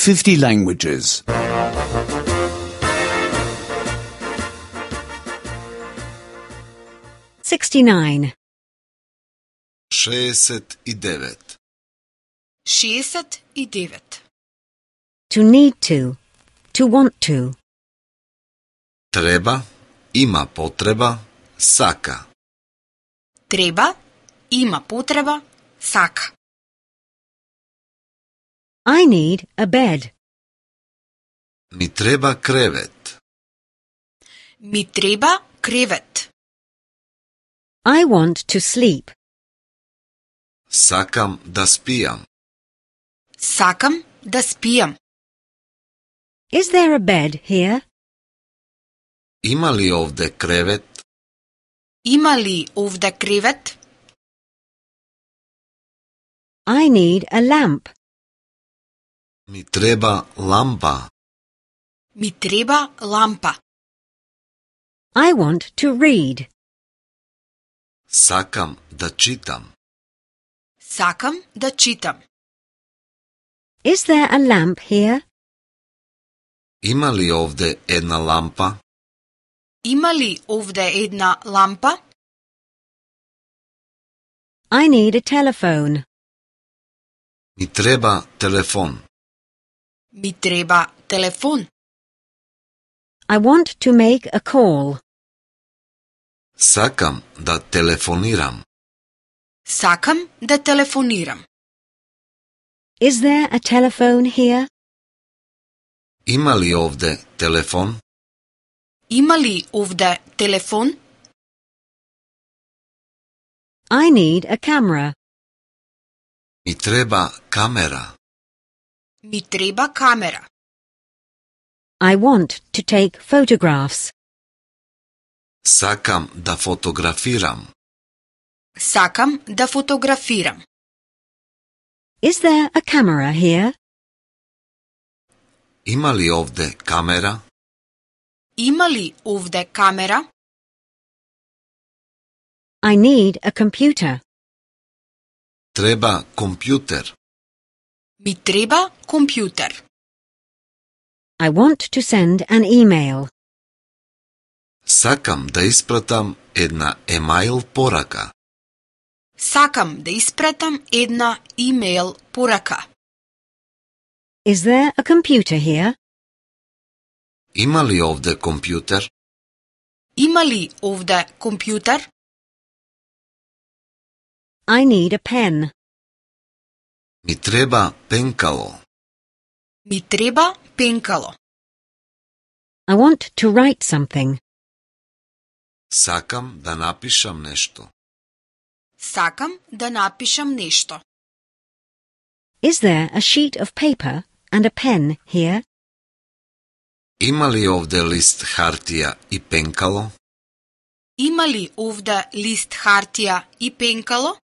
50 languages. 69. 69. 69. To need to want to. Treba, ima potreba, saka. Treba, ima potreba, saka. I need a bed. Mi treba krevet. Mi treba krevet. I want to sleep. Sakam da spijam. Sakam da spijam. Is there a bed here? Ima li ovde krevet? Ima li ovde krevet? I need a lamp. Mi treba lampa. Mi treba lampa. I want to read. Sakam da čitam. Sakam da čitam. Is there a lamp here? Ima li ovde jedna lampa? Ima li ovde jedna lampa? I need a telephone. Mi treba telefon. Mi treba telefon. I want to make a call. Sakam da telefoniram. Sakam da telefoniram. Is there a telephone here? Ima li ovde telefon? Ima li ovde telefon? I need a camera. Mi treba kamera. Mi treba kamera. I want to take photographs. Sakam da fotografiram. Sakam da fotografiram. Is there a camera here? Ima li ovde kamera? Ima li ovde kamera? I need a computer. Treba kompjuter. Mi treba kompjuter. I want to send an email. Sakam da ispratam една email порака. Сакам да испратам една имейл порака. Is there a computer here? Има ли овде компјутер? Има ли овде компјутер? I need a pen. Ми треба пенкало. Ми треба пенкало. I want to write something. Сакам да напишам нешто. Сакам да напишам нешто. Is there a sheet of paper and a pen here? Има ли овде лист хартија и пенкало? Има ли овде лист хартија и пенкало?